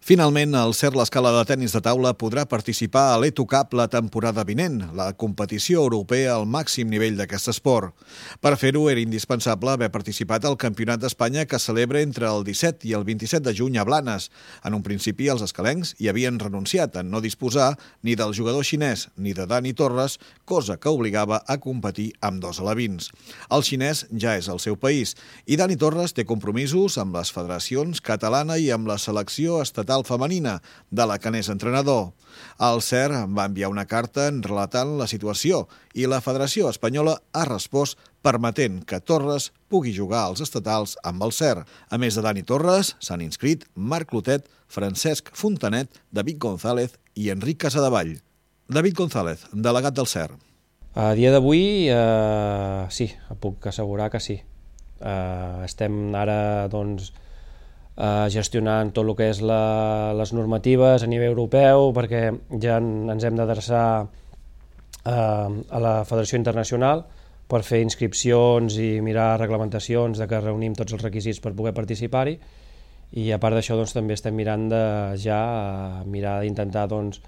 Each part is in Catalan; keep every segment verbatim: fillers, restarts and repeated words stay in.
Finalment, el CERT L'Escala de Tenis de Taula podrà participar a l'Eto Cup la temporada vinent, la competició europea al màxim nivell d'aquest esport. Per fer-ho era indispensable haver participat al Campionat d'Espanya que celebra entre el disset i el vint-i-set de juny a Blanes. En un principi, els escalencs hi havien renunciat a no disposar ni del jugador xinès ni de Dani Torres, cosa que obligava a competir amb dos alevins. El xinès ja és al seu país i Dani Torres té compromisos amb les federacions catalana i amb la selecció estatal femenina, de la que n'és entrenador. El CERT va enviar una carta relatant la situació i la Federació Espanyola ha respost permetent que Torres pugui jugar als estatals amb el CERT. A més de Dani Torres, s'han inscrit Marc Clotet, Francesc Fontanet, David González i Enric Casadevall. David González, delegat del CERT. A dia d'avui, eh, sí, puc assegurar que sí. Eh, estem ara, doncs, Uh, gestionant tot el que és la, les normatives a nivell europeu, perquè ja ens hem d'adreçar uh, a la Federació Internacional per fer inscripcions i mirar reglamentacions de que reunim tots els requisits per poder participar-hi, i a part d'això doncs, també estem mirant de ja uh, mirar d'intentar doncs,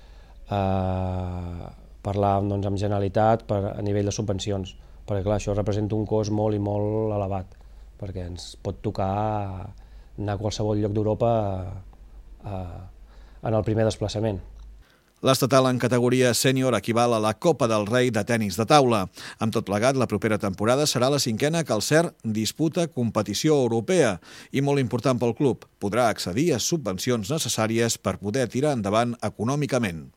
uh, parlar doncs, amb Generalitat per, a nivell de subvencions, perquè clar, això representa un cost molt i molt elevat, perquè ens pot tocar anar a qualsevol lloc d'Europa en el primer desplaçament. L'estatal en categoria sènior equival a la Copa del Rei de tenis de taula. Amb tot plegat, la propera temporada serà la cinquena que el CERT disputa competició europea i, molt important pel club, podrà accedir a subvencions necessàries per poder tirar endavant econòmicament.